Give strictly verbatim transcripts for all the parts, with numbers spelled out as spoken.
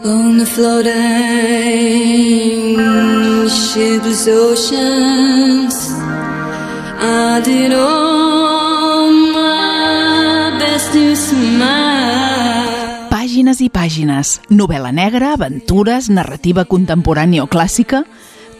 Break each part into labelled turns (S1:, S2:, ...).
S1: On the floating shipless oceans, I did all my best to smile.
S2: Pàgines i pàgines, novel·la negra, aventures, narrativa contemporània o clàssica.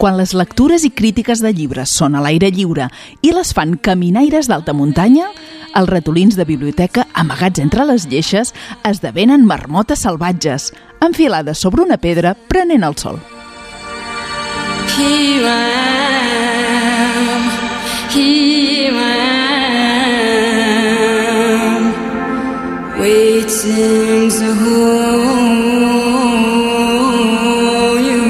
S2: Quan les lectures i crítiques de llibres són a l'aire lliure i les fan caminaires d'alta muntanya, els ratolins de biblioteca amagats entre les lleixes esdevenen marmotes salvatges, enfilades sobre una pedra prenent el sol.
S1: Here I am, here I am, waiting to hold you.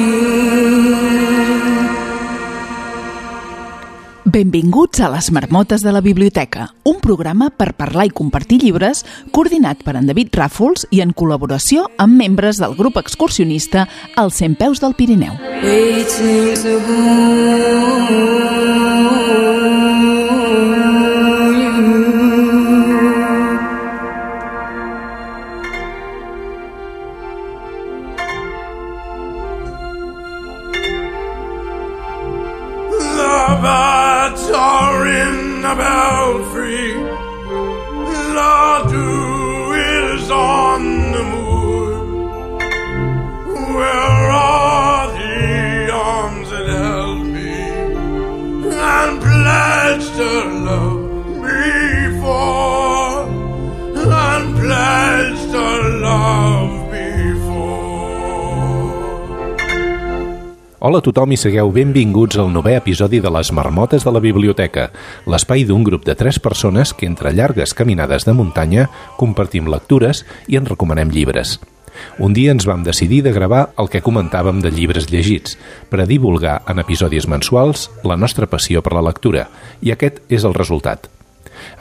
S2: Benvinguts a Les Marmotes de la Biblioteca, un programa per parlar i compartir llibres coordinat per en David Ràfols i en col·laboració amb membres del grup excursionista als Cent Peus del Pirineu.
S1: Waiting to hold you.
S3: The birds are in the belfry, the dew is on the moor. Where are the arms that held me and pledged to love me for, and pledged to love me for?
S4: Hola a tothom i sigueu benvinguts al novè episodi de Les Marmotes de la Biblioteca, l'espai d'un grup de tres persones que entre llargues caminades de muntanya compartim lectures i en recomanem llibres. Un dia ens vam decidir de gravar el que comentàvem de llibres llegits, per a divulgar en episodis mensuals la nostra passió per la lectura, i aquest és el resultat.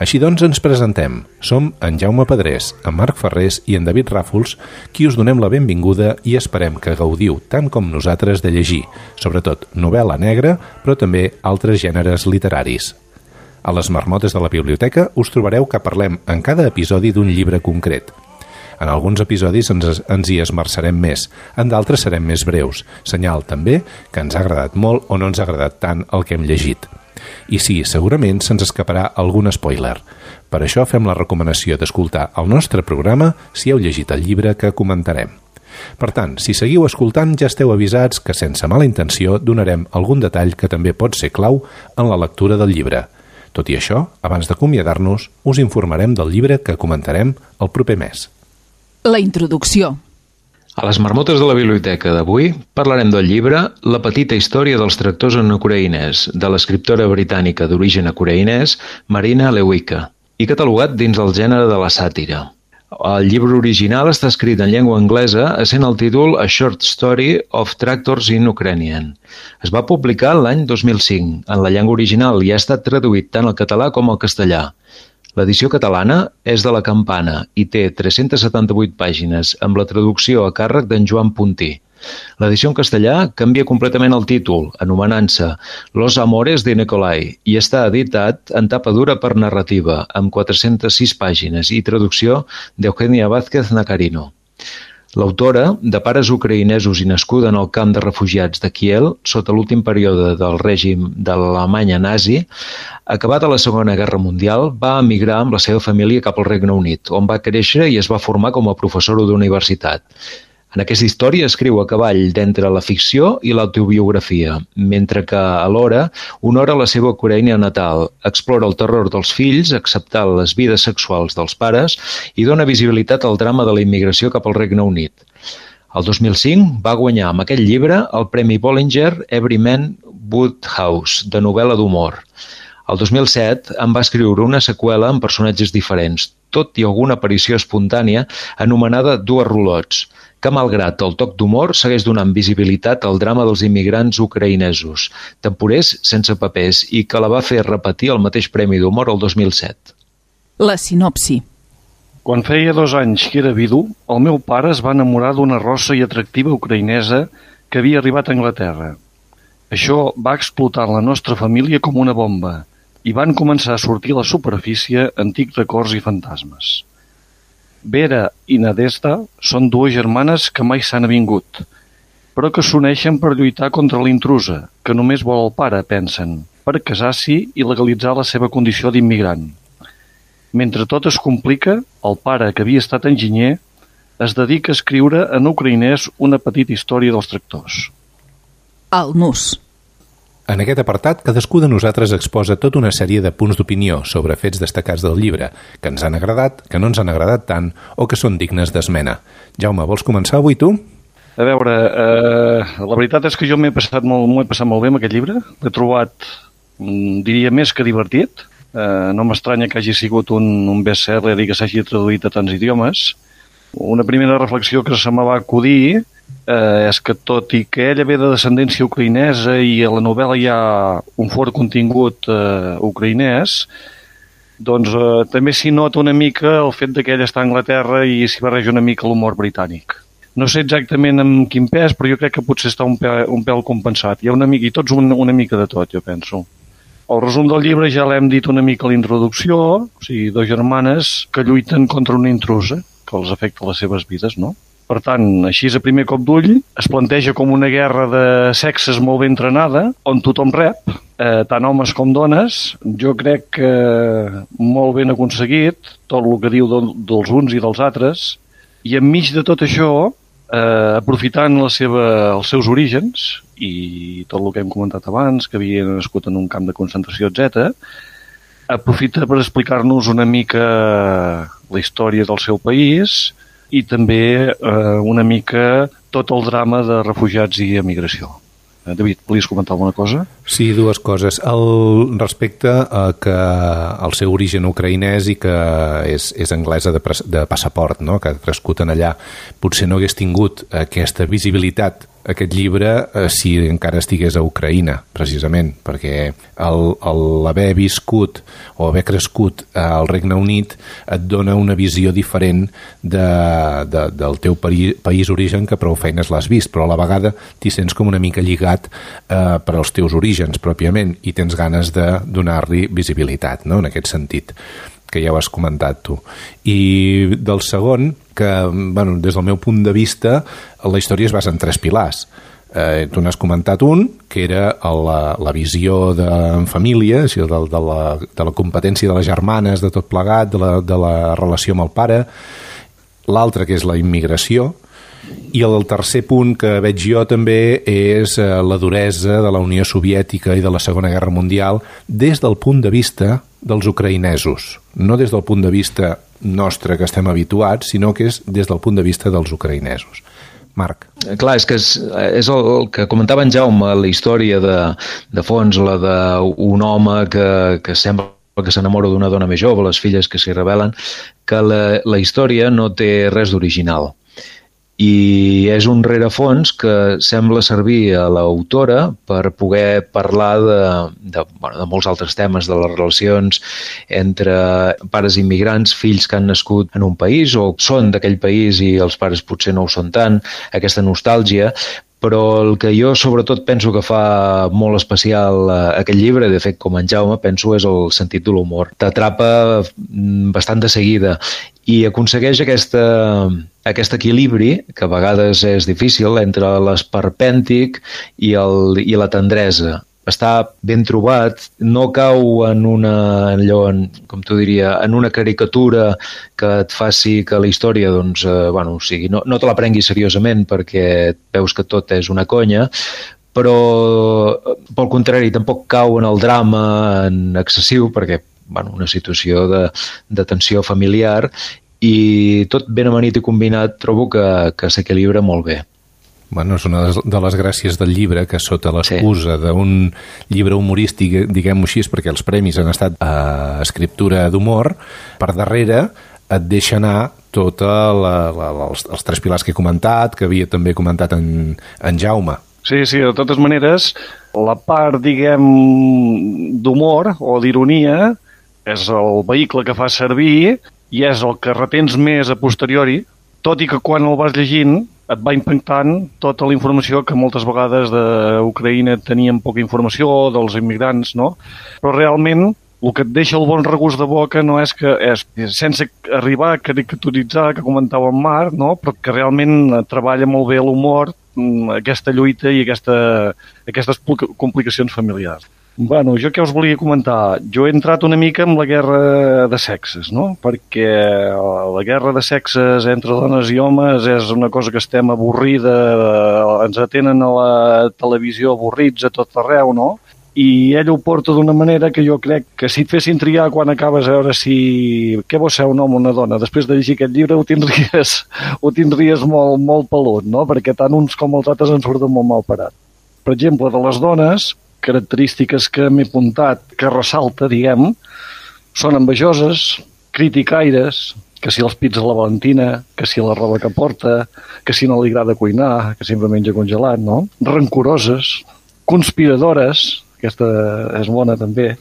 S4: Així doncs ens presentem. Som en Jaume Pedrés, en Marc Ferrés i en David Ràfols, qui us donem la benvinguda i esperem que gaudiu tant com nosaltres de llegir, sobretot novel·la negra, però també altres gèneres literaris. A Les Marmotes de la Biblioteca us trobareu que parlem en cada episodi d'un llibre concret. En alguns episodis ens, ens hi esmerçarem més, en d'altres serem més breus, senyal també que ens ha agradat molt o no ens ha agradat tant el que hem llegit. I sí, segurament se'ns escaparà algun spoiler. Per això fem la recomanació d'escoltar el nostre programa si heu llegit el llibre que comentarem. Per tant, si seguiu escoltant ja esteu avisats que sense mala intenció donarem algun detall que també pot ser clau en la lectura del llibre. Tot i això, abans d'acomiadar-nos, us informarem del llibre que comentarem el proper mes.
S2: La introducció.
S5: A les Marmotes de la Biblioteca d'avui parlarem del llibre La petita història dels tractors en ucraïnès, de l'escriptora britànica d'origen ucraïnès Marina Lewicka, i catalogat dins el gènere de la sàtira. El llibre original està escrit en llengua anglesa, essent el títol A Short Story of Tractors in Ukrainian. Es va publicar l'any dos mil cinc en la llengua original i ha estat traduït tant al català com al castellà. L'edició catalana és de La Campana i té tres-centes setanta-vuit pàgines, amb la traducció a càrrec d'en Joan Puntí. L'edició en castellà canvia completament el títol, anomenant-se Los Amores de Nicolai, i està editat en tapa dura per narrativa, amb quatre-centes sis pàgines i traducció d'Eugenia Vázquez Nacarino. L'autora, de pares ucraïnesos i nascuda en el camp de refugiats de Kiel, sota l'últim període del règim de l'Alemanya nazi, acabada la Segona Guerra Mundial, va emigrar amb la seva família cap al Regne Unit, on va créixer i es va formar com a professora d'universitat. En aquesta història escriu a cavall d'entre la ficció i l'autobiografia, mentre que, alhora, honora la seva Ucraïna natal, explora el terror dels fills, acceptar les vides sexuals dels pares i dona visibilitat al drama de la immigració cap al Regne Unit. El dos mil cinc va guanyar amb aquest llibre el Premi Bollinger Everyman Woodhouse, de novel·la d'humor. El dos mil set en va escriure una seqüela amb personatges diferents, tot i alguna aparició espontània anomenada Dues Rolots, que malgrat el toc d'humor segueix donant visibilitat al drama dels immigrants ucraïnesos, temporers sense papers, i que la va fer repetir el mateix Premi d'Humor el dos mil set.
S2: La sinopsi.
S6: Quan feia dos anys que era vidu, el meu pare es va enamorar d'una rossa i atractiva ucraïnesa que havia arribat a Anglaterra. Això va explotar la nostra família com una bomba i van començar a sortir a la superfície antics records i fantasmes. Vera i Nadezhda són dues germanes que mai s'han avingut, però que s'uneixen per lluitar contra l'intrusa, que només vol el pare, pensen, per casar-s'hi i legalitzar la seva condició d'immigrant. Mentre tot es complica, el pare, que havia estat enginyer, es dedica a escriure en ucraïnès una petita història dels tractors.
S2: El nus.
S4: En aquest apartat, cadascú de nosaltres exposa tota una sèrie de punts d'opinió sobre fets destacats del llibre, que ens han agradat, que no ens han agradat tant o que són dignes d'esmena. Jaume, vols començar avui tu?
S6: A veure, eh, la veritat és que jo m'he passat molt, m'ho he passat molt bé amb aquest llibre. L'he trobat, diria, més que divertit. Eh, no m'estranya que hagi sigut un, un best-seller i que s'hagi traduït a tants idiomes. Una primera reflexió que se me va acudir eh, és que, tot i que ella ve de descendència ucraïnesa i a la novel·la hi ha un fort contingut eh, ucraïnès, doncs eh, també s'hi nota una mica el fet que ella està a Anglaterra i s'hi barreja una mica l'humor britànic. No sé exactament amb quin pes, però jo crec que potser està un pèl, un pèl compensat. Hi ha una mica, i tots una, una mica de tot, jo penso. El resum del llibre ja l'hem dit una mica a la introducció, o sigui, dues germanes que lluiten contra una intrusa que els afecta les seves vides, no? Per tant, així a primer cop d'ull, es planteja com una guerra de sexes molt ben entrenada, on tothom rep, eh, tant homes com dones. Jo crec que molt ben aconseguit, tot el que diu de, dels uns i dels altres, i enmig de tot això, eh, aprofitant la seva, els seus orígens i tot el que hem comentat abans, que havia nascut en un camp de concentració, etcètera, aprofita per explicar-nos una mica la història del seu país i també eh, una mica tot el drama de refugiats i emigració. Eh, David, volies comentar alguna cosa?
S4: Sí, dues coses. El, respecte a que el seu origen ucraïnès i que és, és anglesa de, de passaport, no? Que ha crescut en allà, potser no hagués tingut aquesta visibilitat aquest llibre eh, si encara estigués a Ucraïna, precisament, perquè l'haver viscut o haver crescut al Regne Unit et dona una visió diferent de, de, del teu país, país origen, que prou feines l'has vist, però a la vegada t'hi sents com una mica lligat eh, per als teus orígens pròpiament i tens ganes de donar-li visibilitat, no? En aquest sentit, que ja ho has comentat tu. I del segon, que bueno, des del meu punt de vista la història es basa en tres pilars. Eh, tu n'has comentat un, que era la, la visió de, en família, o sigui, de, de, la, de la competència de les germanes, de tot plegat, de la, de la relació amb el pare. L'altre, que és la immigració. I el tercer punt que veig jo també és la duresa de la Unió Soviètica i de la Segona Guerra Mundial des del punt de vista dels ucraïnesos, no des del punt de vista nostre que estem habituats, sinó que és des del punt de vista dels ucraïnesos. Marc.
S5: Clar, és que és, és el, el que comentava en Jaume, la història de, de fons, la d'un home que, que sembla que s'enamora d'una dona més jove, les filles que s'hi rebel·len, que la, la història no té res d'original. I és un rerefons que sembla servir a l'autora per poder parlar de, de, bueno, de molts altres temes, de les relacions entre pares immigrants, fills que han nascut en un país o són d'aquell país i els pares potser no ho són tant, aquesta nostàlgia. Però el que jo sobretot penso que fa molt especial aquest llibre, de fet com en Jaume, penso és el sentit de l'humor. T'atrapa bastant de seguida i aconsegueix aquesta, aquest equilibri, que a vegades és difícil, entre l'esperpèntic i, el, i la tendresa. Està ben trobat, no cau en una, allò, en, com t'ho diria, en una caricatura que et faci que la història, doncs, eh, bueno, o sigui, no, no te la prenguis seriosament perquè veus que tot és una conya, però pel contrari, tampoc cau en el drama en excessiu perquè, bueno, una situació de, de tensió familiar i tot ben amanit i combinat trobo que, que s'equilibra molt bé.
S4: Bueno, és una de les gràcies del llibre, que sota l'excusa sí. d'un llibre humorístic, diguem-ho així, perquè els premis han estat a escriptura d'humor, per darrere et deixa anar tota la, la, els, els tres pilars que he comentat, que havia també comentat en, en Jaume.
S6: Sí, sí, de totes maneres, la part, diguem, d'humor o d'ironia és el vehicle que fa servir i és el que retens més a posteriori, tot i que quan el vas llegint et va impactant tota la informació que moltes vegades d'Ucraïna teníem poca informació, dels immigrants, no? Però realment el que et deixa el bon regust de boca no és que, és, sense arribar a caricaturitzar, que comentava en Marc, no? Però que realment treballa molt bé l'humor, aquesta lluita i aquesta, aquestes complicacions familiars. Bueno, jo què us volia comentar? Jo he entrat una mica en la guerra de sexes, no? Perquè la guerra de sexes entre dones i homes és una cosa que estem avorrida, ens atenen a la televisió avorrits a tot arreu, no? I ell ho porta d'una manera que jo crec que si et fessin triar quan acabes a veure si què vol ser un home o una dona, després de llegir aquest llibre ho tindries, ho tindries molt, molt pelut, no? Perquè tant uns com els altres ens surten molt mal parat. Per exemple, de les dones, característiques que m'he apuntat, que ressalta, diguem, són envejoses, criticaires, que si els pits de la Valentina, que si la roba que porta, que si no li agrada cuinar, que sempre menja congelat, no? Rancoroses, conspiradores, aquesta és bona també,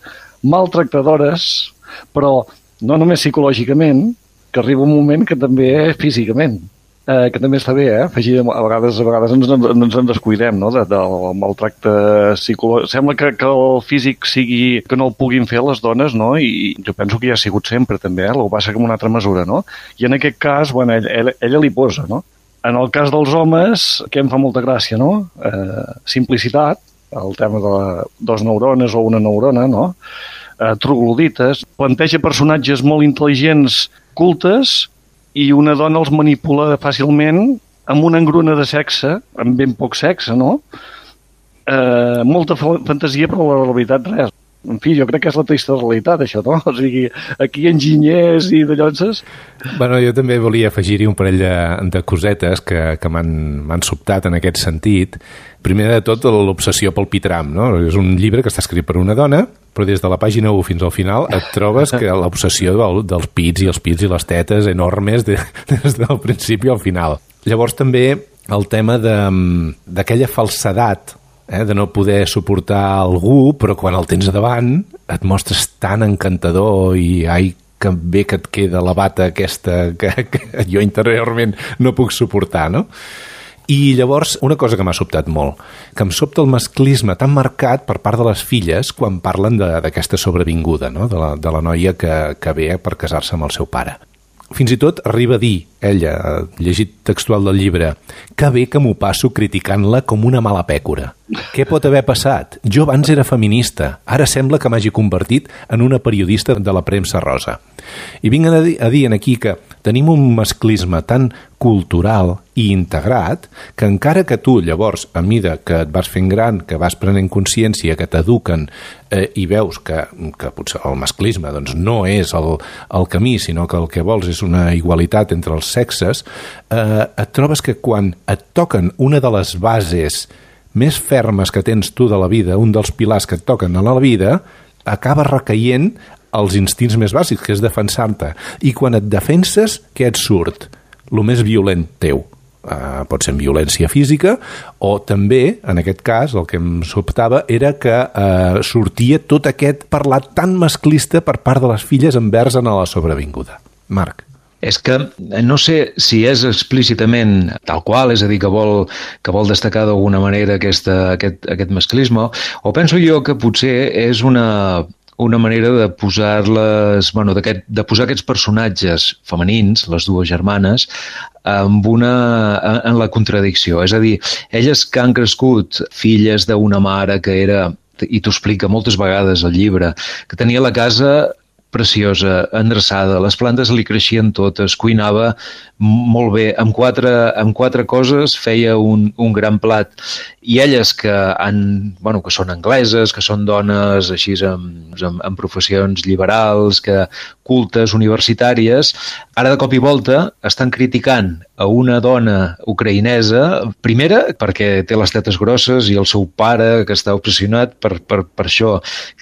S6: maltractadores, però no només psicològicament, que arriba un moment que també físicament, eh, que també està bé, eh? Afegir, a vegades, a vegades ens, ens en descuidem, no?, de, del maltracte psicològic. Sembla que, que el físic sigui, que no el puguin fer les dones, no?, i jo penso que ja ha sigut sempre també, eh? El que passa que en una altra mesura, no? I en aquest cas, bueno, ella, ella, ella li posa, no? En el cas dels homes, que em fa molta gràcia, no? Eh, simplicitat, el tema de la, dos neurones o una neurona, no? Eh, troglodites, planteja personatges molt intel·ligents, cultes, i una dona els manipula fàcilment amb una engruna de sexe, amb ben poc sexe, no? Eh, molta fantasia, però la realitat res. En fi, jo crec que és la trista realitat, això, no? O sigui, aquí enginyers i de llonces...
S4: Bueno, jo també volia afegir-hi un parell de, de cosetes que, que m'han sobtat en aquest sentit. Primer de tot, l'obsessió pel pitram, no? És un llibre que està escrit per una dona, però des de la pàgina u fins al final et trobes que l'obsessió del, dels pits i els pits i les tetes enormes de, des del principi al final. Llavors també el tema d'aquella falsedat, Eh, de no poder suportar algú, però quan el tens davant et mostres tan encantador i ai, que bé que et queda la bata aquesta que, que jo interiorment no puc suportar, no? I llavors, una cosa que m'ha sobtat molt, que em sobta el masclisme tan marcat per part de les filles quan parlen d'aquesta sobrevinguda, no? de, la, de la noia que, que ve per casar-se amb el seu pare. Fins i tot arriba a dir, ella, llegit textual del llibre, que bé que m'ho passo criticant-la com una mala pècora. Què pot haver passat? Jo abans era feminista, ara sembla que m'hagi convertit en una periodista de la premsa rosa. I vinc a dir, a dir aquí que tenim un masclisme tan cultural i integrat que encara que tu llavors, a mida que et vas fent gran, que vas prenent consciència, que t'eduquen eh, i veus que, que potser el masclisme doncs, no és el, el camí, sinó que el que vols és una igualitat entre els sexes, eh, et trobes que quan et toquen una de les bases més fermes que tens tu de la vida, un dels pilars que et toquen a la vida, acaba recaient els instints més bàsics, que és defensar-te. I quan et defenses, què et surt? El més violent teu. Uh, pot ser violència física o també, en aquest cas, el que em sobtava era que uh, sortia tot aquest parlat tan masclista per part de les filles envers a la sobrevinguda. Marc.
S5: És que no sé si és explícitament tal qual, és a dir, que vol, que vol destacar d'alguna manera aquesta, aquest, aquest masclisme, o penso jo que potser és una, una manera de posar-les, bueno, de posar aquests personatges femenins, les dues germanes, amb una, en la contradicció. És a dir, elles que han crescut filles d'una mare que era, i t'ho explica moltes vegades al llibre, que tenia la casa preciosa, endreçada, les plantes li creixien totes, cuinava molt bé, amb quatre, amb quatre coses feia un, un gran plat. I elles que, han, bueno, que són angleses, que són dones així amb, amb, amb professions liberals, que cultes, universitàries, ara de cop i volta estan criticant a una dona ucraïnesa, primera perquè té les tetes grosses i el seu pare que està obsessionat per, per, per això,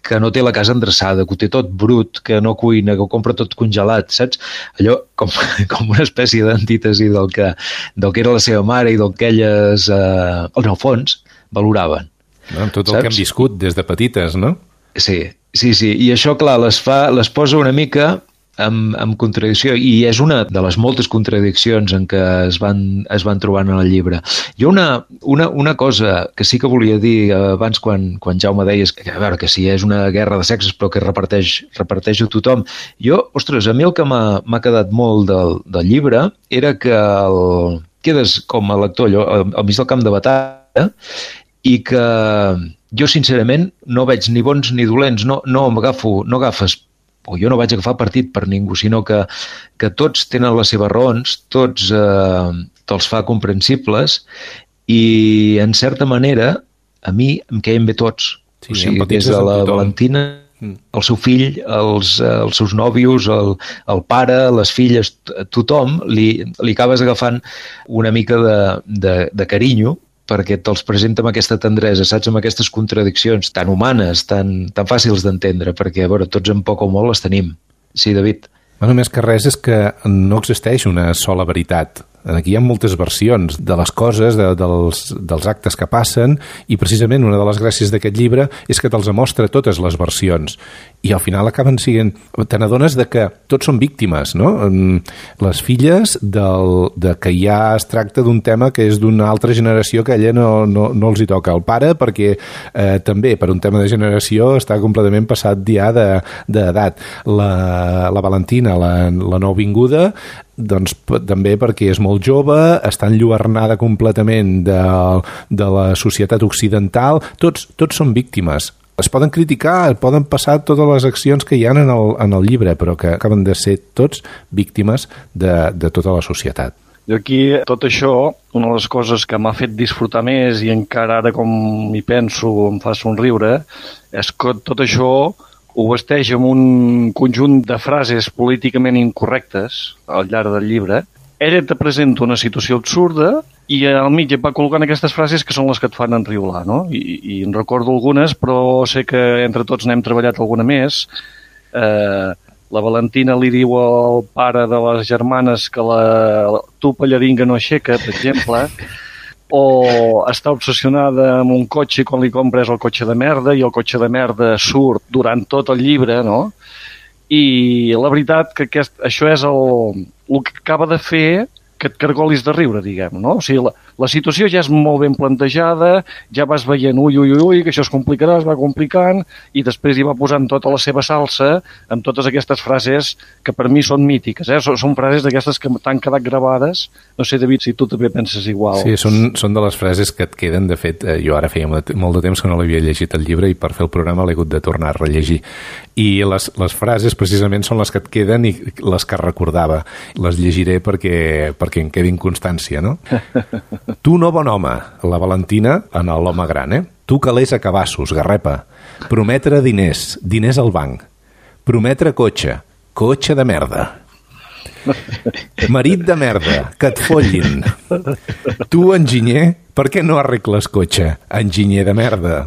S5: que no té la casa endreçada, que ho té tot brut, que no cuina, que ho compra tot congelat, saps? Allò com, com una espècie d'antítesi del que, del que era la seva mare i del que elles, eh, en el fons, valoraven.
S4: No, tot el saps? Que hem viscut des de petites, no?
S5: Sí, sí, sí. I això, clar, les, fa, les posa una mica amb, amb contradicció, i és una de les moltes contradiccions en què es van, es van trobant en el llibre. Hi ha una, una, una cosa que sí que volia dir abans quan, quan Jaume deies que, a veure, que sí, és una guerra de sexes però que reparteix, reparteix a tothom. Jo, ostres, a mi el que m'ha quedat molt del, del llibre era que el, quedes com a lector allò, al mig del camp de batalla i que jo sincerament no veig ni bons ni dolents, no, no m'agafo, no agafes, o jo no vaig agafar partit per ningú, sinó que, que tots tenen les seves raons, tots eh, te'ls fa comprensibles i en certa manera a mi em queien bé tots. Sí, o sigui, des de la Valentina, el seu fill, els, els seus nòvios, el, el pare, les filles, tothom li, li acabes agafant una mica de, de, de carinyo perquè te'ls presenta amb aquesta tendresa, saps, amb aquestes contradiccions tan humanes, tan, tan fàcils d'entendre, perquè, a veure, tots en poc o molt les tenim. Sí, David?
S4: Bueno, més que res és que no existeix una sola veritat. Aquí hi ha moltes versions de les coses, de, dels, dels actes que passen, i precisament una de les gràcies d'aquest llibre és que te'ls mostra totes les versions. I al final acaben sent... Te n'adones de que tots són víctimes, no? Les filles del, de que ja es tracta d'un tema que és d'una altra generació que a ella no, no, no els hi toca. El pare, perquè eh, també per un tema de generació està completament passat ja d'edat. La, la Valentina, la, la nouvinguda, doncs també perquè és molt jove, està enlluernada completament de, de la societat occidental. Tots, tots són víctimes. Es poden criticar, poden passar totes les accions que hi ha en el, en el llibre, però que acaben de ser tots víctimes de, de tota la societat.
S6: Jo aquí, tot això, una de les coses que m'ha fet disfrutar més i encara ara com hi penso em fa somriure, és que tot això ho vesteix amb un conjunt de frases políticament incorrectes al llarg del llibre. Ella te presenta una situació absurda i al mig et va col·locant aquestes frases que són les que et fan enriolar, no? I, i en recordo algunes, però sé que entre tots n'hem treballat alguna més. Eh, la Valentina li diu al pare de les germanes que la tu pallaringa no aixeca, per exemple, o està obsessionada amb un cotxe i quan li compres el cotxe de merda i el cotxe de merda surt durant tot el llibre, no? I la veritat que aquest, això és el, el que acaba de fer que et cargolis de riure, diguem, no? O sigui, la, la situació ja és molt ben plantejada, ja vas veient, ui, ui, ui, que això es complicarà, es va complicant, i després hi va posant tota la seva salsa amb totes aquestes frases que per mi són mítiques, eh? Són, són frases d'aquestes que t'han quedat gravades. No sé, David, si tu també penses igual.
S4: Sí, són, són de les frases que et queden. De fet, eh, jo ara feia molt de temps que no l'havia llegit el llibre i per fer el programa l'he hagut de tornar a rellegir. I les, les frases precisament són les que et queden i les que recordava. Les llegiré perquè, perquè en quedin constància, no? Tu no bon home, la Valentina en l'home gran, eh? Tu calés a cabassos, garrepa. Prometre diners, diners al banc. Prometre cotxe, cotxe de merda. Marit de merda, que et follin. Tu, enginyer, per què no arregles cotxe? Enginyer de merda.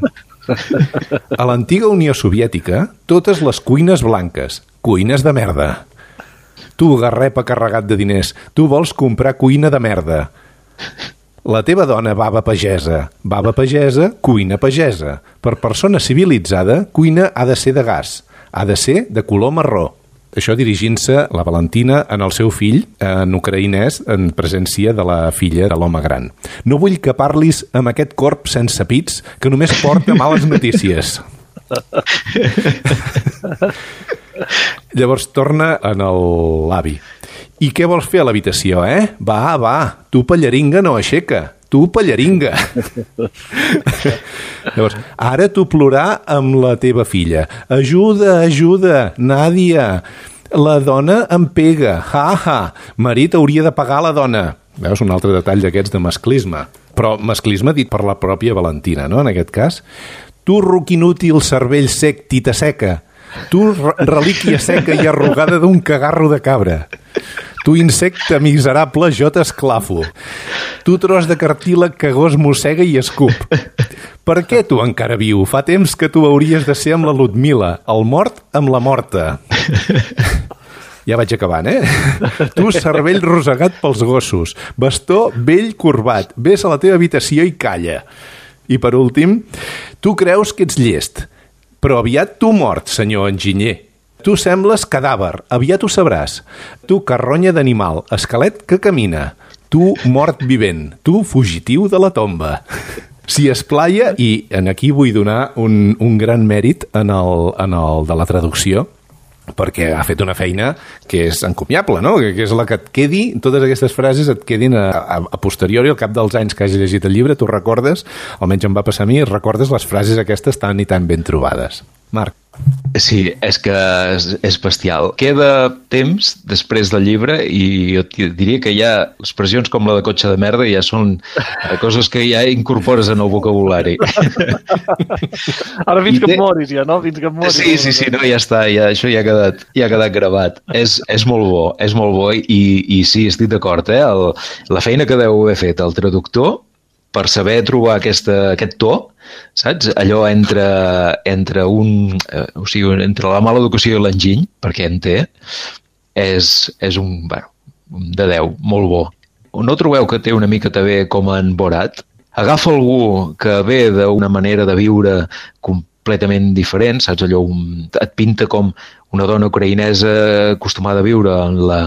S4: A l'antiga Unió Soviètica, totes les cuines blanques, cuines de merda. Tu, garrepa carregat de diners, tu vols comprar cuina de merda. La teva dona, baba pagesa. Baba pagesa, cuina pagesa. Per persona civilitzada, cuina ha de ser de gas. Ha de ser de color marró. Això dirigint-se la Valentina en el seu fill, en ucraïnès, en presència de la filla de l'home gran. No vull que parlis amb aquest corp sense pits que només porta males notícies. Llavors torna en l'avi. I què vols fer a l'habitació, eh? Va, va, tu pallaringa no aixeca. Tu pallaringa. Llavors, ara tu plorar amb la teva filla. Ajuda, ajuda, Nàdia. La dona em pega. Ha, ha. Marit hauria de pagar la dona. Veus, un altre detall d'aquests de masclisme. Però masclisme dit per la pròpia Valentina, no?, en aquest cas. Tu, ruc inútil, cervell sec, tita seca. Tu, relíquia seca i arrugada d'un cagarro de cabra. Tu, insecte miserable, jo t'esclafo. Tu, tros de cartílag que gos mossega i escup. Per què tu encara viu? Fa temps que tu hauries de ser amb la Ludmila, el mort amb la morta. Ja vaig acabant, eh? Tu, cervell rosegat pels gossos, bastó vell corbat, ves a la teva habitació i calla. I per últim, tu creus que ets llest, però aviat tu mort, senyor enginyer. Tu sembles cadàver, aviat ho sabràs. Tu, carronya d'animal, esquelet que camina. Tu, mort vivent. Tu, fugitiu de la tomba. S'hi esplaia, i en aquí vull donar un, un gran mèrit en el, en el de la traducció, perquè ha fet una feina que és encomiable, no? Que, que és la que et quedi, totes aquestes frases et quedin a, a, a posteriori, al cap dels anys que hagi llegit el llibre, tu recordes, almenys em va passar a mi, recordes les frases aquestes tan i tan ben trobades. Marc.
S5: Sí, és que és, és bestial. Queda temps després del llibre i jo diria que ja expressions com la de cotxe de merda ja són coses que ja incorpores en el vocabulari.
S6: Ara fins I que té... et moris ja, no? Fins que et moris.
S5: Sí, sí, sí, no, ja està, ja, això ja ha quedat, ja ha quedat gravat. És, és molt bo, és molt bo i, i sí, estic d'acord, eh? El, la feina que deu haver fet el traductor per saber trobar aquesta, aquest to, saps? Allò entre, entre un, eh, o sigui, entre la mala educació i l'enginy, perquè en té, és, és un, bueno, de deu, molt bo. No trobeu que té una mica també com en Borat? Agafa algú que ve d'una manera de viure completament diferent, saps? Allò un, et pinta com una dona ucraïnesa acostumada a viure en la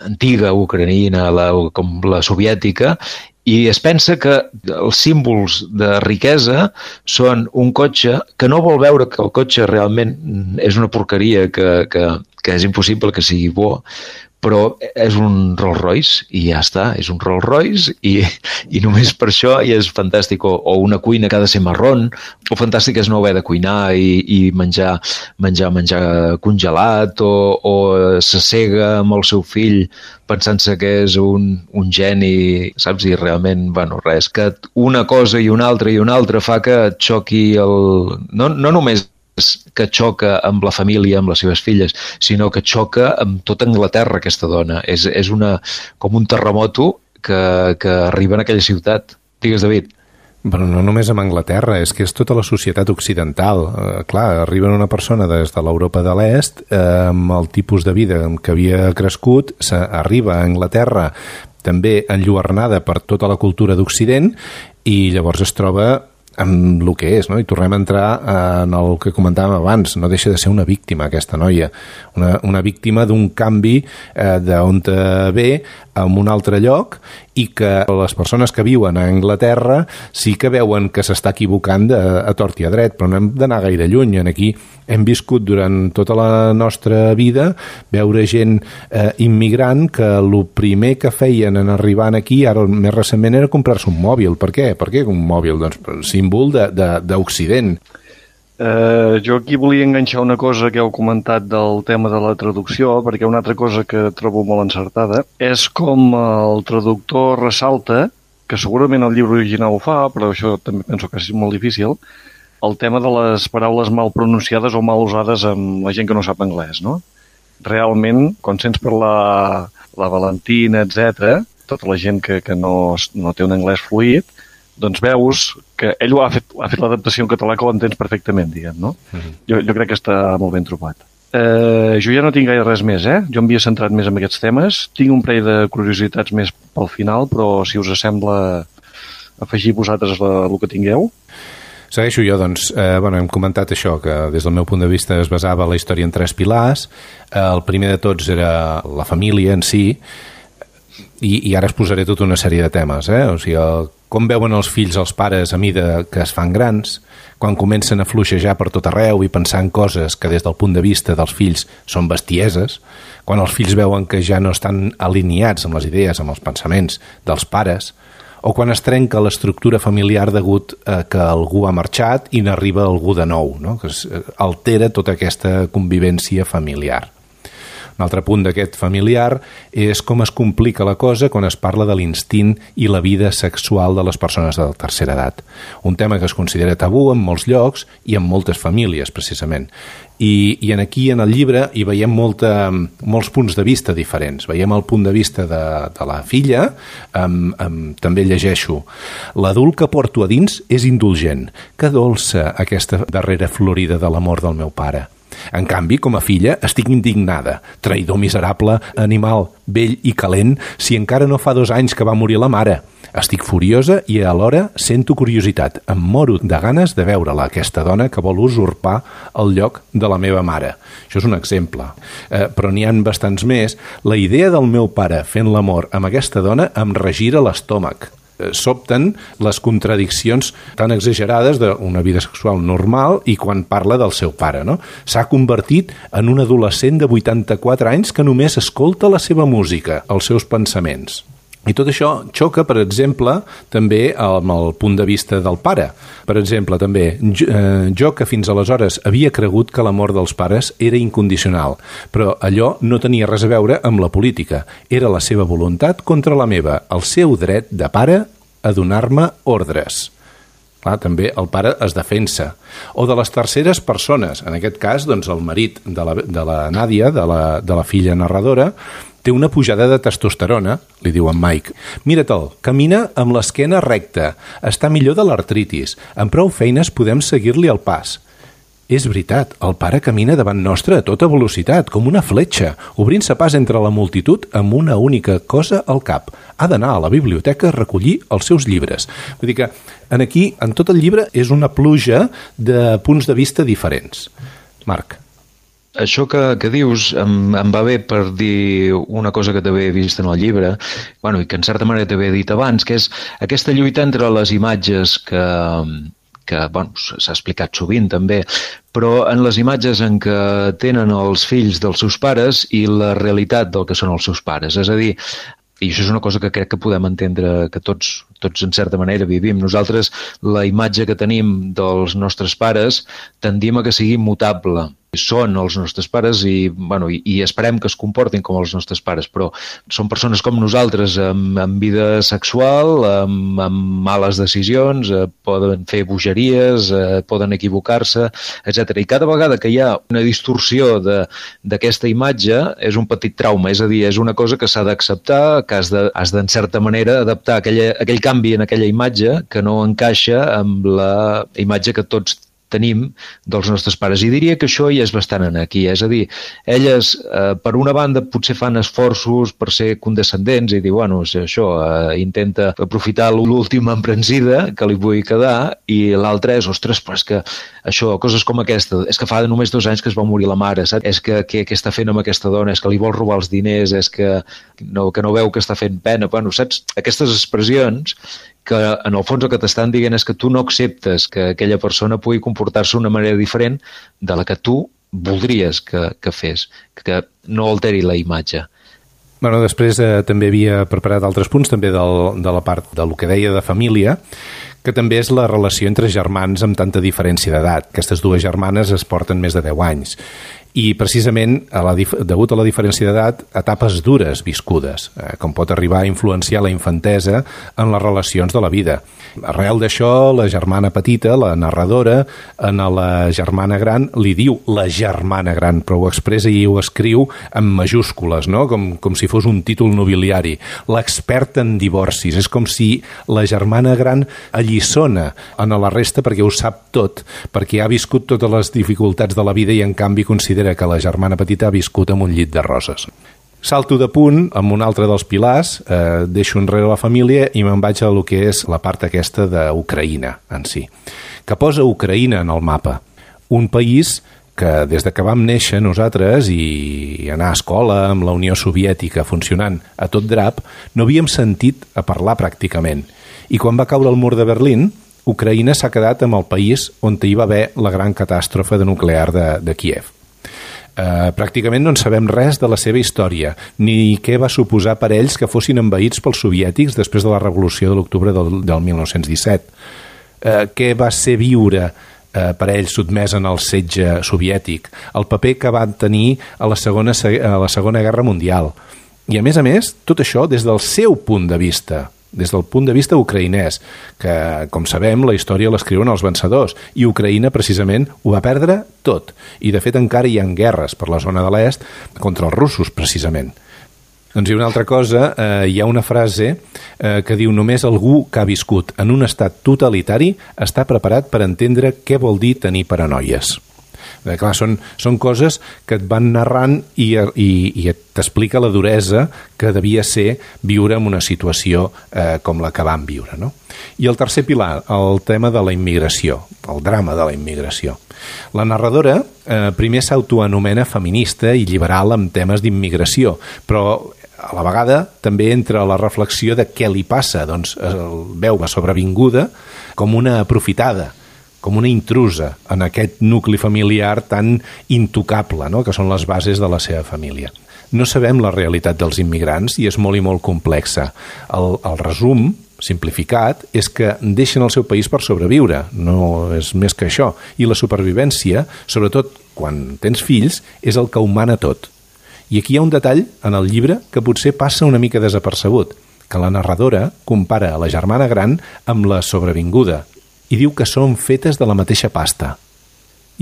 S5: antiga ucraïna, la, com la soviètica, i es pensa que els símbols de riquesa són un cotxe que no vol veure que el cotxe realment és una porqueria, que, que, que és impossible que sigui bo, però és un Rolls Royce i ja està, és un Rolls Royce i, i només per això ja és fantàstic, o, o una cuina que ha de ser marrón, o fantàstic és no haver de cuinar i, i menjar, menjar, menjar congelat, o, o s'assega amb el seu fill pensant-se que és un, un geni, saps? I realment, bueno, res, que una cosa i una altra i una altra fa que et xoqui el... No, no només que xoca amb la família, amb les seves filles, sinó que xoca amb tota Anglaterra, aquesta dona. És, és una, com un terremoto que, que arriba en aquella ciutat. Digues, David.
S4: Però no només amb Anglaterra, és que és tota la societat occidental. Eh, clar, arriba una persona des de l'Europa de l'Est eh, amb el tipus de vida amb què havia crescut, arriba a Anglaterra també enlluernada per tota la cultura d'Occident i llavors es troba amb el que és, no? I tornem a entrar en el que comentàvem abans, no deixa de ser una víctima aquesta noia, una, una víctima d'un canvi eh, d'on ve a un altre lloc i que les persones que viuen a Anglaterra sí que veuen que s'està equivocant de, a tort i a dret, però no hem d'anar gaire lluny. Aquí hem viscut durant tota la nostra vida veure gent eh, immigrant que el primer que feien en arribar aquí, ara més recentment, era comprar-se un mòbil. Per què? Per què un mòbil? Doncs símbol d'Occident.
S6: Uh, jo aquí volia enganxar una cosa que heu comentat del tema de la traducció, perquè una altra cosa que trobo molt encertada és com el traductor ressalta, que segurament el llibre original ho fa, però això també penso que és molt difícil, el tema de les paraules mal pronunciades o mal usades amb la gent que no sap anglès, no? Realment, quan sents parlar la Valentina, etcètera, tota la gent que, que no, no té un anglès fluid, doncs veus que ell ho ha fet, ha fet l'adaptació en català que ho entens perfectament, diguem, no? Uh-huh. jo, jo crec que està molt ben trobat. Eh, jo ja no tinc gaire res més, eh? Jo m'havia centrat més en aquests temes. Tinc un parell de curiositats més pel final, però si us sembla afegir vosaltres la, el que tingueu.
S4: Segueixo jo, doncs. Eh, bueno, hem comentat això, que des del meu punt de vista es basava la història en tres pilars. Eh, el primer de tots era la família en si, i, i ara es posaré tota una sèrie de temes, eh? O sigui, el, com veuen els fills els pares a mida que es fan grans, quan comencen a fluixejar per tot arreu i pensar en coses que des del punt de vista dels fills són bestieses, quan els fills veuen que ja no estan alineats amb les idees, amb els pensaments dels pares, o quan es trenca l'estructura familiar degut a que algú ha marxat i n'arriba algú de nou, no? Que es altera tota aquesta convivència familiar. Un altre punt d'aquest familiar és com es complica la cosa quan es parla de l'instint i la vida sexual de les persones de la tercera edat. Un tema que es considera tabú en molts llocs i en moltes famílies, precisament. I, i en aquí, en el llibre, hi veiem molta, molts punts de vista diferents. Veiem el punt de vista de, de la filla, amb, amb, també llegeixo: l'adult que porto a dins és indulgent. Que dolça aquesta darrera florida de l'amor del meu pare. En canvi, com a filla, estic indignada. Traïdor miserable, animal, vell i calent, si encara no fa dos anys que va morir la mare. Estic furiosa i alhora sento curiositat. Em moro de ganes de veure-la, aquesta dona que vol usurpar el lloc de la meva mare. Això és un exemple. Eh, però n'hi han bastants més. La idea del meu pare fent l'amor amb aquesta dona em regira l'estómac. Sobten les contradiccions tan exagerades d'una vida sexual normal i quan parla del seu pare, no? S'ha convertit en un adolescent de vuitanta-quatre anys que només escolta la seva música, els seus pensaments. I tot això xoca, per exemple, també amb el punt de vista del pare. Per exemple, també, jo, eh, jo que fins aleshores havia cregut que l'amor dels pares era incondicional, però allò no tenia res a veure amb la política. Era la seva voluntat contra la meva, el seu dret de pare a donar-me ordres. Clar, també el pare es defensa. O de les terceres persones, en aquest cas, doncs, el marit de la, de la Nàdia, de la, de la filla narradora, té una pujada de testosterona, li diu en Mike. Mira-te'l, camina amb l'esquena recta, està millor de l'artritis, amb prou feines podem seguir-li el pas. És veritat, el pare camina davant nostre a tota velocitat, com una fletxa, obrint-se pas entre la multitud amb una única cosa al cap. Ha d'anar a la biblioteca a recollir els seus llibres. Vull dir que en aquí, en tot el llibre, és una pluja de punts de vista diferents. Marc.
S5: Això que, que dius em, em va bé per dir una cosa que també he vist en el llibre, bueno, i que en certa manera també he dit abans, que és aquesta lluita entre les imatges que, que bueno, s'ha explicat sovint també, però en les imatges en què tenen els fills dels seus pares i la realitat del que són els seus pares. És a dir, i això és una cosa que crec que podem entendre que tots, tots en certa manera vivim. Nosaltres, la imatge que tenim dels nostres pares tendim a que sigui mutable. Són els nostres pares i, bueno, i, i esperem que es comportin com els nostres pares, però són persones com nosaltres amb, amb vida sexual, amb, amb males decisions, eh, poden fer bogeries, eh, poden equivocar-se, etcètera. I cada vegada que hi ha una distorsió d'aquesta imatge és un petit trauma, és a dir, és una cosa que s'ha d'acceptar, que has de, has de, en certa manera, adaptar aquella, aquell canvi en aquella imatge que no encaixa amb la imatge que tots tenim dels nostres pares. I diria que això ja és bastant en aquí. És a dir, elles, eh, per una banda, potser fan esforços per ser condescendents i dir, bueno, això, eh, intenta aprofitar l'última emprensida que li vull quedar, i l'altra és, ostres, però és que això, coses com aquesta, és que fa només dos anys que es va morir la mare, saps? És que què, què està fent amb aquesta dona? És que li vol robar els diners? És que no, que no veu que està fent pena? Bueno, saps? Aquestes expressions que en el fons el que t'estan dient és que tu no acceptes que aquella persona pugui comportar-se d'una manera diferent de la que tu voldries que, que fes, que no alteri la imatge.
S4: Bueno, després eh, també havia preparat altres punts també del, de la part del que deia de família, que també és la relació entre germans amb tanta diferència d'edat. Aquestes dues germanes es porten més de deu anys. I precisament, a la, degut a la diferència d'edat, etapes dures viscudes, eh, com pot arribar a influenciar la infantesa en les relacions de la vida. Arrel d'això, la germana petita, la narradora, en la germana gran li diu la germana gran, però ho expressa i ho escriu en majúscules, no? com, com si fos un títol nobiliari. L'experta en divorcis. És com si la germana gran alliçona en la resta perquè ho sap tot, perquè ha viscut totes les dificultats de la vida i en canvi considera que la germana petita ha viscut amb un llit de roses. Salto de punt amb un altre dels pilars, eh, deixo enrere la família i me'n vaig a lo que és la part aquesta d'Ucraïna en si, que posa Ucraïna en el mapa. Un país que des de que vam néixer nosaltres i anar a escola amb la Unió Soviètica funcionant a tot drap, no havíem sentit a parlar pràcticament. I quan va caure el mur de Berlín, Ucraïna s'ha quedat amb el país on hi va haver la gran catàstrofe de nuclear de, de Kíev. Uh, pràcticament no en sabem res de la seva història, ni què va suposar per ells que fossin envaïts pels soviètics després de la revolució de l'octubre del, del mil nou-cents disset. Uh, què va ser viure uh, per ells sotmès en el setge soviètic, el paper que van tenir a la Segona, a la Segona Guerra Mundial. I a més a més, tot això des del seu punt de vista, des del punt de vista ucraïnès, que, com sabem, la història l'escriuen els vencedors, i Ucraïna, precisament, ho va perdre tot. I, de fet, encara hi ha guerres per la zona de l'est contra els russos, precisament. Doncs hi ha una altra cosa, eh, hi ha una frase eh, que diu només algú que ha viscut en un estat totalitari està preparat per entendre què vol dir tenir paranoies. Eh, clar, són, són coses que et van narrant i, i, i t'explica la duresa que devia ser viure en una situació eh, com la que van viure, no? I el tercer pilar, el tema de la immigració, el drama de la immigració. La narradora eh, primer s'autoanomena feminista i liberal amb temes d'immigració, però a la vegada també entra la reflexió de què li passa. Doncs el veu la sobrevinguda com una aprofitada, com una intrusa en aquest nucli familiar tan intocable, no?, que són les bases de la seva família. No sabem la realitat dels immigrants i és molt i molt complexa. El, el resum simplificat és que deixen el seu país per sobreviure, no és més que això. I la supervivència, sobretot quan tens fills, és el que ho mana tot. I aquí hi ha un detall en el llibre que potser passa una mica desapercebut, que la narradora compara a la germana gran amb la sobrevinguda i diu que són fetes de la mateixa pasta.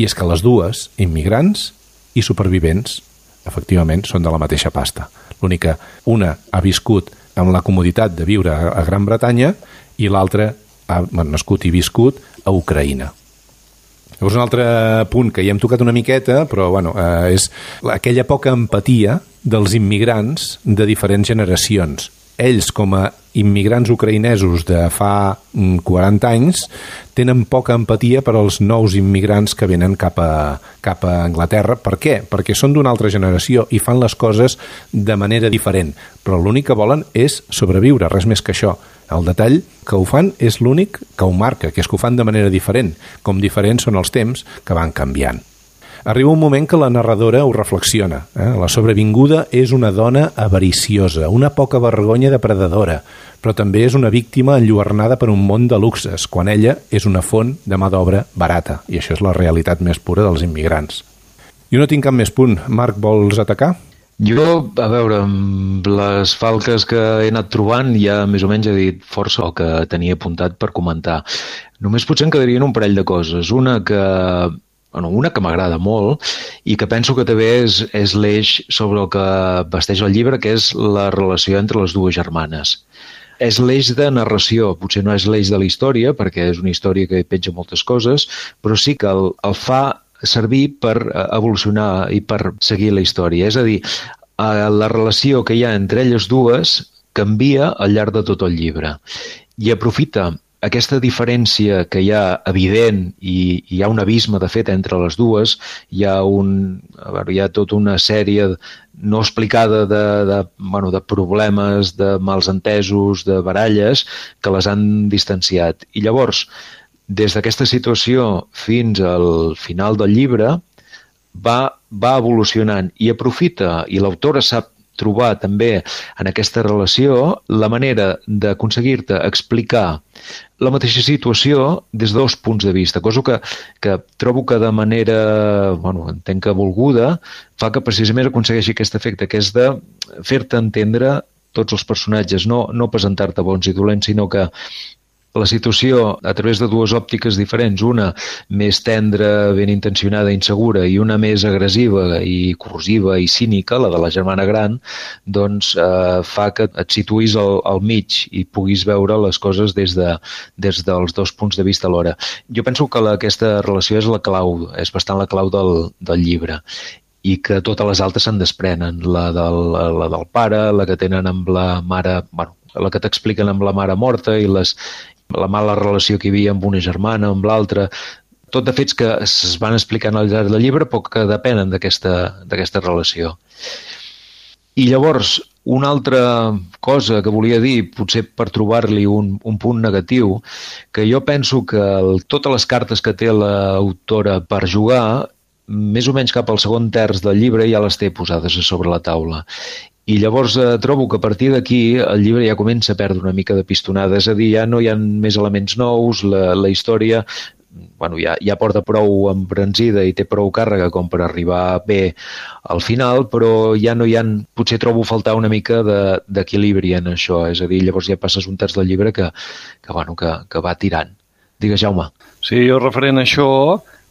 S4: I és que les dues, immigrants i supervivents, efectivament són de la mateixa pasta. L'únic que una ha viscut amb la comoditat de viure a Gran Bretanya i l'altra ha nascut i viscut a Ucraïna. Llavors, un altre punt que ja hem tocat una miqueta, però bueno, eh, és aquella poca empatia dels immigrants de diferents generacions. Ells, com a immigrants ucraïnesos de fa quaranta anys, tenen poca empatia per als nous immigrants que venen cap a, cap a Anglaterra. Per què? Perquè són d'una altra generació i fan les coses de manera diferent, però l'únic que volen és sobreviure, res més que això. El detall que ho fan és l'únic que ho marca, que és que ho fan de manera diferent, com diferents són els temps que van canviant. Arriba un moment que la narradora ho reflexiona. Eh? La sobrevinguda és una dona avariciosa, una poca vergonya depredadora, però també és una víctima enlluernada per un món de luxes, quan ella és una font de mà d'obra barata. I això és la realitat més pura dels immigrants. Jo no tinc cap més punt. Marc, vols atacar?
S5: Jo, a veure, amb les falques que he anat trobant ja més o menys he dit força el que tenia apuntat per comentar. Només potser em quedarien un parell de coses. Una que... Bueno, una que m'agrada molt i que penso que també és, és l'eix sobre el que vesteix el llibre, que és la relació entre les dues germanes. És l'eix de narració, potser no és l'eix de la història, perquè és una història que petja moltes coses, però sí que el, el fa servir per evolucionar i per seguir la història. És a dir, la relació que hi ha entre elles dues canvia al llarg de tot el llibre i aprofita aquesta diferència que hi ha evident i hi ha un abisme de fet entre les dues, hi ha, un, a veure, hi ha tota una sèrie no explicada de, de, bueno, de problemes, de mals entesos, de baralles que les han distanciat. I llavors, des d'aquesta situació fins al final del llibre va, va evolucionant i aprofita, i l'autora sap trobar també en aquesta relació la manera d'aconseguir-te explicar la mateixa situació des de dos punts de vista, cosa que, que trobo que de manera, bueno, entenc que volguda, fa que precisament aconsegueixi aquest efecte, que és de fer-te entendre tots els personatges, no, no presentar-te bons i dolents, sinó que la situació a través de dues òptiques diferents, una més tendra, ben intencionada, insegura, i una més agressiva i corrosiva i cínica, la de la germana gran, doncs eh, fa que et situïs al, al mig i puguis veure les coses des, de, des dels dos punts de vista alhora. Jo penso que la, aquesta relació és la clau, és bastant la clau del, del llibre, i que totes les altres se'n desprenen, la del, la del pare, la que tenen amb la mare, bueno, la que t'expliquen amb la mare morta i les la mala relació que hi havia amb una germana, amb l'altra, tot de fets que es van explicant al llarg del llibre però que depenen d'aquesta relació. I llavors, una altra cosa que volia dir, potser per trobar-li un, un punt negatiu, que jo penso que el, totes les cartes que té l'autora per jugar, més o menys cap al segon terç del llibre ja les té posades a sobre la taula. I llavors eh, trobo que a partir d'aquí el llibre ja comença a perdre una mica de pistonada, és a dir, ja no hi ha més elements nous, la, la història bueno, ja, ja porta prou embranzida i té prou càrrega com per arribar bé al final, però ja no hi ha, potser trobo faltar una mica d'equilibri en això, és a dir, llavors ja passes un terç del llibre que, que, bueno, que, que va tirant. Digues, Jaume.
S6: Sí, jo referent a això,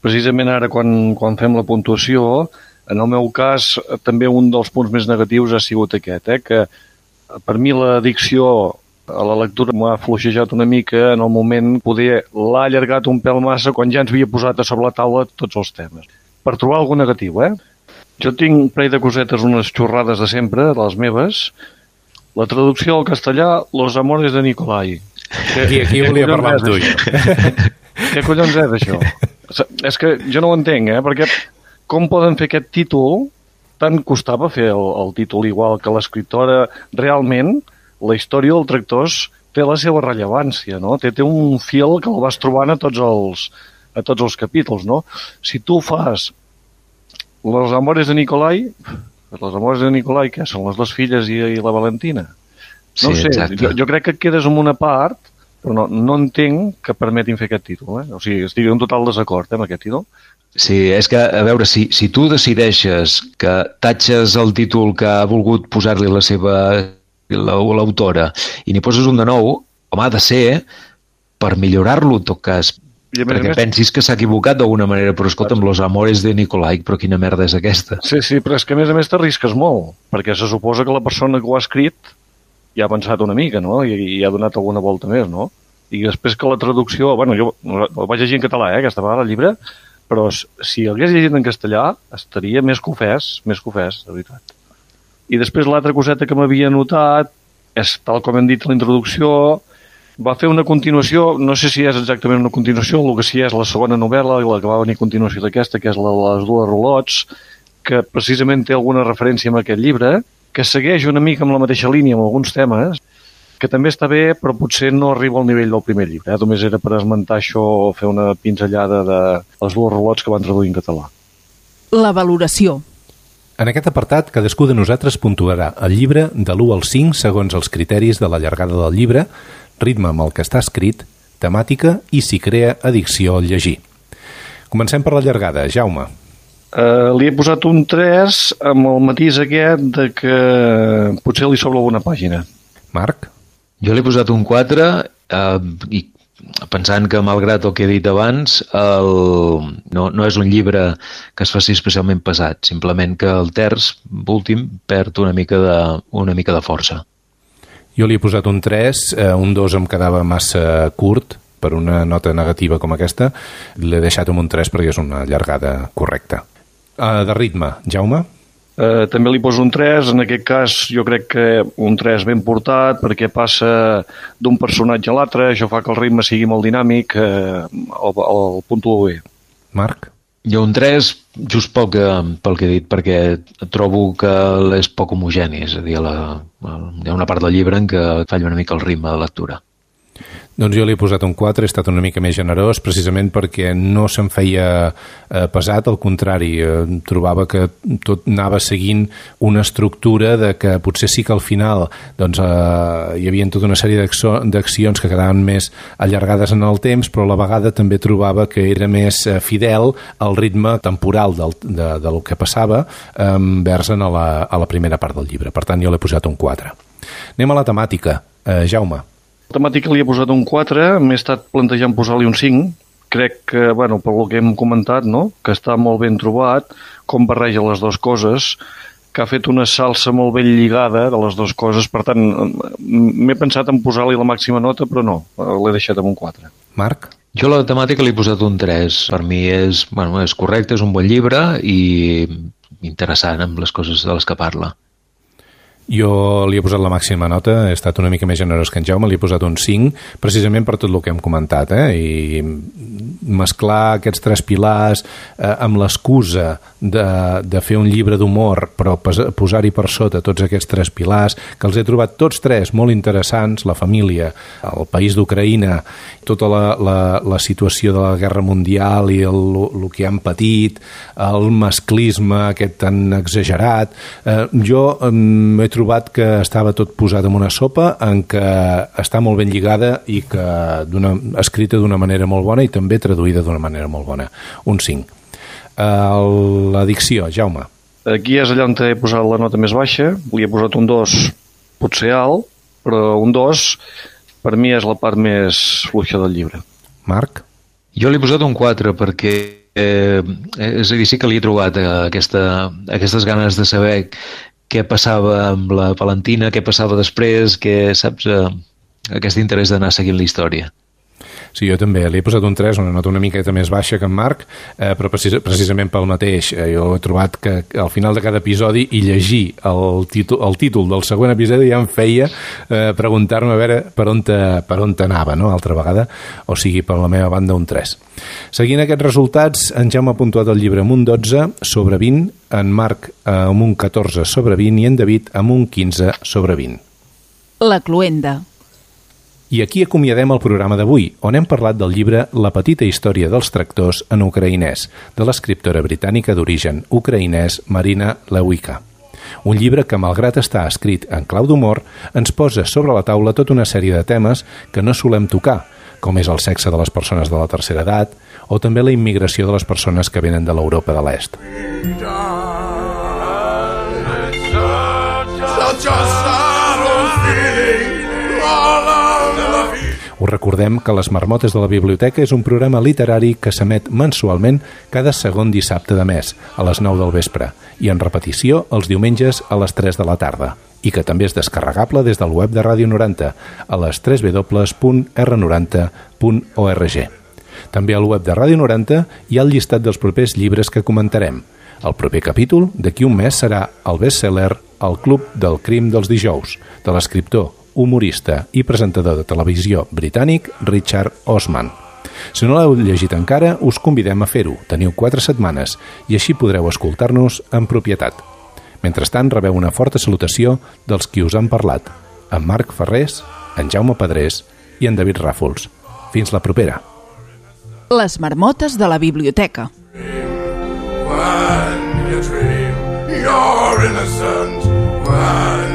S6: precisament ara quan, quan fem la puntuació, en el meu cas, també un dels punts més negatius ha sigut aquest, eh? Que per mi l'addicció a la lectura m'ha fluixejat una mica en el moment, poder l'ha allargat un pèl massa quan ja ens havia posat a sobre la taula tots els temes. per trobar algun negatiu, eh? Jo tinc un parell de cosetes, unes xorrades de sempre, de les meves. La traducció al castellà, Los amores de Nicolai.
S4: Aquí, aquí volia parlar amb tu.
S6: Què collons és, això? És que jo no ho entenc, eh? Perquè com poden fer aquest títol? Tant costava fer el, el títol igual que l'escriptora. Realment, la història del Tractors té la seva rellevància, no? Té, té un fil que el vas trobant a tots els, a tots els capítols, no? Si tu fas Los amores de Nicolai, les amores de Nicolai, que són les dues filles i, i la Valentina? No
S5: Sí,
S6: sé,
S5: exacte.
S6: jo, jo crec que et quedes amb una part, però no, no entenc que permetin fer aquest títol, eh? O sigui, estic en total desacord eh, amb aquest títol.
S5: Sí, és que, a veure, si, si tu decideixes que tatxes el títol que ha volgut posar-li la seva la- l'autora i n'hi poses un de nou, home, ha de ser per millorar-lo, en tot cas,
S6: I a més a
S5: perquè
S6: més-
S5: pensis que s'ha equivocat d'alguna manera, però escolta'm, Los amores de Nicolai, però quina merda és aquesta?
S6: Sí, sí, però és que a més a més t'arrisques molt, perquè se suposa que la persona que ho ha escrit ja ha pensat una mica, no? I, i ha donat alguna volta més, no? I després que la traducció... Bueno, jo ho vaig llegir en català, eh, aquesta vegada, el llibre, però s- si el hagués llegit en castellà estaria més confès, més confès, de veritat. I després l'altra coseta que m'havia notat és, tal com hem dit a la introducció, va fer una continuació, no sé si és exactament una continuació, el que sí és la segona novel·la, la que va venir a continuació d'aquesta, que és la de les dues rolots, que precisament té alguna referència amb aquest llibre, que segueix una mica amb la mateixa línia amb alguns temes, que també està bé, però potser no arriba al nivell del primer llibre. Eh? Només era per esmentar això o fer una pinzellada de les dues rolots que van traduir en català.
S2: La valoració.
S4: En aquest apartat, cadascú de nosaltres puntuarà el llibre de l'u al cinc segons els criteris de la llargada del llibre, ritme amb el que està escrit, temàtica i si crea addicció al llegir. Comencem per la llargada. Jaume.
S6: Uh, li he posat un tres amb el matís aquest de que potser li sobra alguna pàgina.
S4: Marc.
S5: Jo li he posat un quatre eh, i pensant que, malgrat el que he dit abans, el... no, no és un llibre que es faci especialment pesat, simplement que el terç, últim, perd una mica de, una mica de força.
S4: Jo li he posat un tres, eh, un dos em quedava massa curt per una nota negativa com aquesta. L'he deixat amb un tres perquè és una llargada correcta. Uh, de ritme, Jaume?
S6: Uh, també li poso un tres, en aquest cas jo crec que un tres ben portat perquè passa d'un personatge a l'altre, això fa que el ritme sigui molt dinàmic, uh, el, el puntuo bé.
S4: Marc?
S5: Jo un tres, just pel que, pel que he dit, perquè trobo que és poc homogeni, és a dir, la, hi ha una part del llibre en què falla una mica el ritme de lectura.
S4: Doncs jo li he posat un quatre, he estat una mica més generós, precisament perquè no se'm feia eh, pesat, al contrari, eh, trobava que tot anava seguint una estructura de que potser sí que al final doncs, eh, hi havia tota una sèrie d'accions que quedaven més allargades en el temps, però a la vegada també trobava que era més eh, fidel al ritme temporal del, de, del que passava eh, vers a la, a la primera part del llibre. Per tant, jo l'he posat un quatre. Anem a la temàtica. Eh, Jaume.
S6: La temàtica li he posat un quatre, m'he estat plantejant posar-li un cinc. Crec que, bueno, per lo que hem comentat, no? Que està molt ben trobat, com barreja les dues coses, que ha fet una salsa molt ben lligada de les dues coses, per tant, m'he pensat en posar-li la màxima nota, però no, l'he deixat amb un quatre.
S4: Marc?
S5: Jo a la temàtica li he posat un tres. Per mi és, bueno, és correcte, és un bon llibre i interessant amb les coses de les que parla.
S4: Jo li he posat la màxima nota, he estat una mica més generós que en Jaume, li he posat un cinc, precisament per tot el que hem comentat, eh? I mesclar aquests tres pilars eh, amb l'excusa de, de fer un llibre d'humor, però posar-hi per sota tots aquests tres pilars, que els he trobat tots tres molt interessants, la família, el país d'Ucraïna, tota la, la, la situació de la guerra mundial i el, el que han patit, el masclisme aquest tan exagerat. Eh, jo eh, he trobat que estava tot posat en una sopa en què està molt ben lligada i que escrita d'una manera molt bona i també traduïda d'una manera molt bona. Un cinc. Uh, L'addicció, Jaume.
S6: Aquí és allà on he posat la nota més baixa, li he posat un dos potser alt, però un dos per mi és la part més fluixa del llibre.
S4: Marc?
S5: Jo li he posat un quatre perquè eh, és a dir, sí que li he trobat eh, aquesta, aquestes ganes de saber què passava amb la Valentina, què passava després, que saps, eh, aquest interès d'anar seguint la història.
S4: Sí, jo també. Li he posat un tres, una nota una miqueta més baixa que en Marc, eh, però precis precisament pel mateix. Eh, jo he trobat que al final de cada episodi i llegir el títol, el títol del següent episodi ja em feia eh, preguntar-me a veure per on, te, per on t'anava, no?, altra vegada, o sigui, per la meva banda un tres. Seguint aquests resultats, en Jaume ha puntuat el llibre amb un dotze sobre vint, en Marc eh, amb un catorze sobre vint i en David amb un quinze sobre vint.
S2: La cloenda.
S4: I aquí acomiadem el programa d'avui, on hem parlat del llibre La petita història dels tractors en ucraïnès, de l'escriptora britànica d'origen ucraïnès Marina Lewycka. Un llibre que, malgrat estar escrit en clau d'humor, ens posa sobre la taula tota una sèrie de temes que no solem tocar, com és el sexe de les persones de la tercera edat o també la immigració de les persones que venen de l'Europa de l'Est. Us recordem que Les Marmotes de la Biblioteca és un programa literari que s'emet mensualment cada segon dissabte de mes, a les nou del vespre, i en repetició els diumenges a les tres de la tarda, i que també és descarregable des del web de Ràdio noranta, a les w w w punt r noranta punt org. També al web de Ràdio noranta hi ha el llistat dels propers llibres que comentarem. El proper capítol, d'aquí un mes, serà el best-seller El club del crim dels dijous, de l'escriptor, humorista i presentador de televisió britànic Richard Osman. Si no l'heu llegit encara, us convidem a fer-ho. Teniu quatre setmanes i així podreu escoltar-nos en propietat. Mentrestant, rebeu una forta salutació dels qui us han parlat, en Marc Ferrés, en Jaume Pedrés i en David Ràfols. Fins la propera.
S2: Les Marmotes de la Biblioteca.
S3: When you dream you're innocent, when